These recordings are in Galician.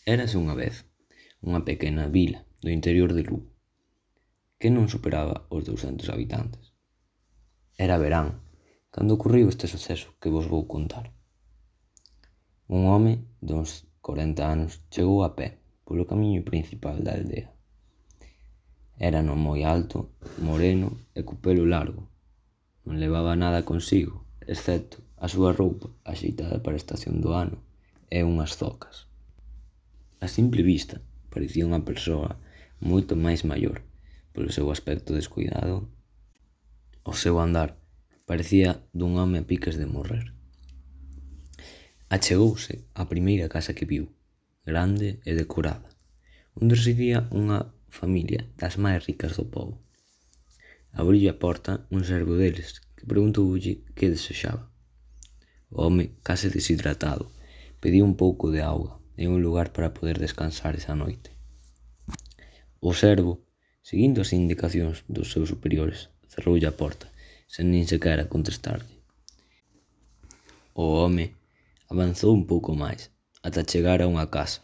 Érase unha vez unha pequena vila do interior de Lugo que non superaba os 200 habitantes. Era verán cando ocorreu este suceso que vos vou contar. Un home duns 40 anos chegou a pé polo camiño principal da aldea. Era non moi alto, moreno e co pelo largo. Non levaba nada consigo, excepto a súa roupa axeitada para a estación do ano e unhas zocas. A simple vista parecía unha persoa moito máis maior polo seu aspecto descuidado. O seu andar parecía dun home a piques de morrer. Achegouse á primeira casa que viu, grande e decorada, onde residía unha familia das máis ricas do pobo. Abriulle a porta un servo deles que preguntoulle que desexaba. O home, case deshidratado, pediu un pouco de auga e un lugar para poder descansar esa noite. O servo, seguindo as indicacións dos seus superiores, cerroulle a porta, sen nin sequera contestarlle. O home avanzou un pouco máis, ata chegar a unha casa,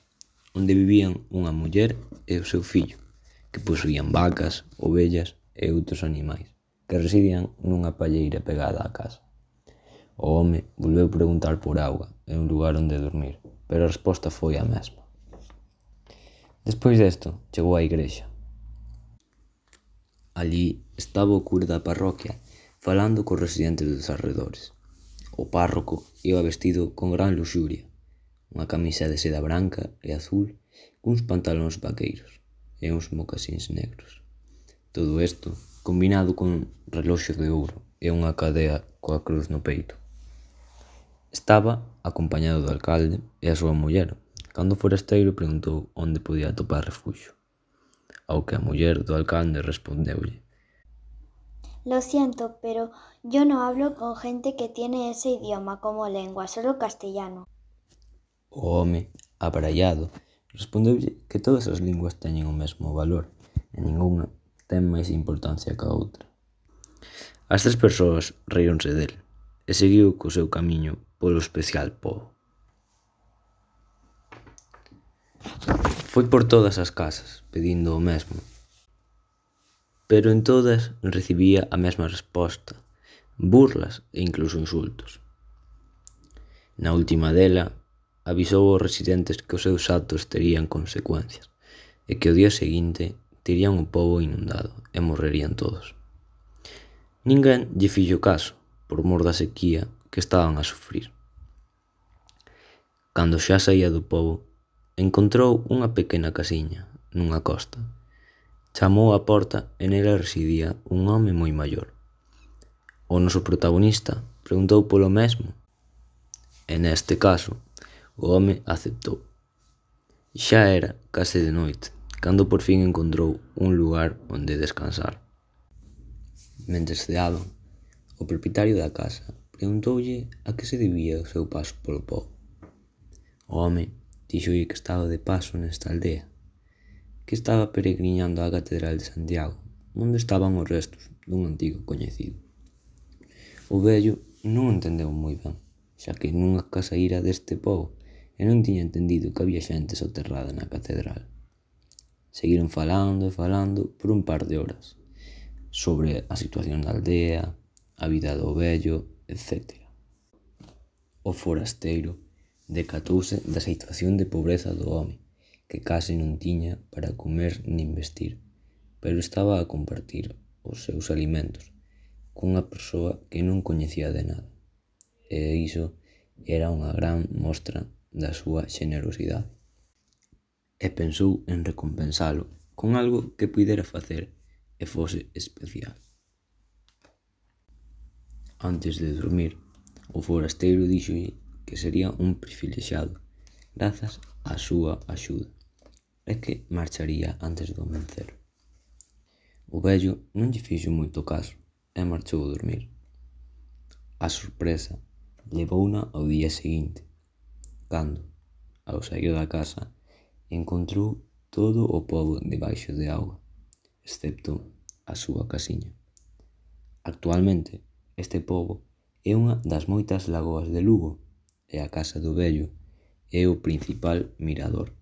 onde vivían unha muller e o seu fillo, que posuían vacas, ovellas e outros animais, que residían nunha palleira pegada á casa. O home volveu preguntar por auga e un lugar onde dormir, pero a resposta foi a mesma. Despois desto, chegou á igrexa. Alí estaba o cura da parroquia falando cos residentes dos arredores. O párroco iba vestido con gran luxuria, unha camisa de seda branca e azul cuns pantalóns vaqueiros e uns mocasíns negros. Todo isto combinado cun reloxo de ouro e unha cadea coa cruz no peito. Estaba acompañado do alcalde e a súa muller, cando o forasteiro preguntou onde podía atopar refuxio, ao que a muller do alcalde respondeulle: Lo siento, pero yo no hablo con gente que tiene ese idioma como lengua, solo castellano. O home, abraiado, respondeulle que todas as linguas teñen o mesmo valor e ningunha ten máis importancia que a outra. As tres persoas ríronse del e seguiu co seu camiño polo especial pobo. Foi por todas as casas pedindo o mesmo, pero en todas recibía a mesma resposta, burlas e incluso insultos. Na última dela, avisou aos residentes que os seus actos terían consecuencias e que o día seguinte terían o pobo inundado e morrerían todos. Ninguén lle fixo caso por mor da sequía que estaban a sufrir. Cando xa saía do pobo, encontrou unha pequena casiña nunha costa. Chamou á porta e nela residía un home moi maior. O noso protagonista preguntou polo mesmo e neste caso o home aceptou. Xa era case de noite cando por fin encontrou un lugar onde descansar. Mentres ceaban, o propietario da casa preguntoulle a que se debía o seu paso polo pobo. O home díxolle que estaba de paso nesta aldea, que estaba peregrinando á Catedral de Santiago, onde estaban os restos dun antigo coñecido. O vello non entendeu moi ben, xa que nunca saíra deste pobo e non tiña entendido que había xente soterrada na catedral. Seguiron falando e falando por un par de horas sobre a situación da aldea, a vida do vello, etc. O forasteiro decatouse da situación de pobreza do home, que case non tiña para comer nin vestir, pero estaba a compartir os seus alimentos cunha persoa que non coñecía de nada, e iso era unha gran mostra da súa xenerosidade. E pensou en recompensalo con algo que puidera facer e fose especial. Antes de dormir, o forasteiro díxolle que sería un privilexiado grazas á súa axuda e que marcharía antes do amencer. O vello non lle fixo moito caso e marchou a dormir. A sorpresa levouna ao día seguinte, cando, ao saír da casa, encontrou todo o pobo debaixo de auga, excepto a súa casiña. Actualmente, este pobo é unha das moitas lagoas de Lugo e a casa do vello é o principal mirador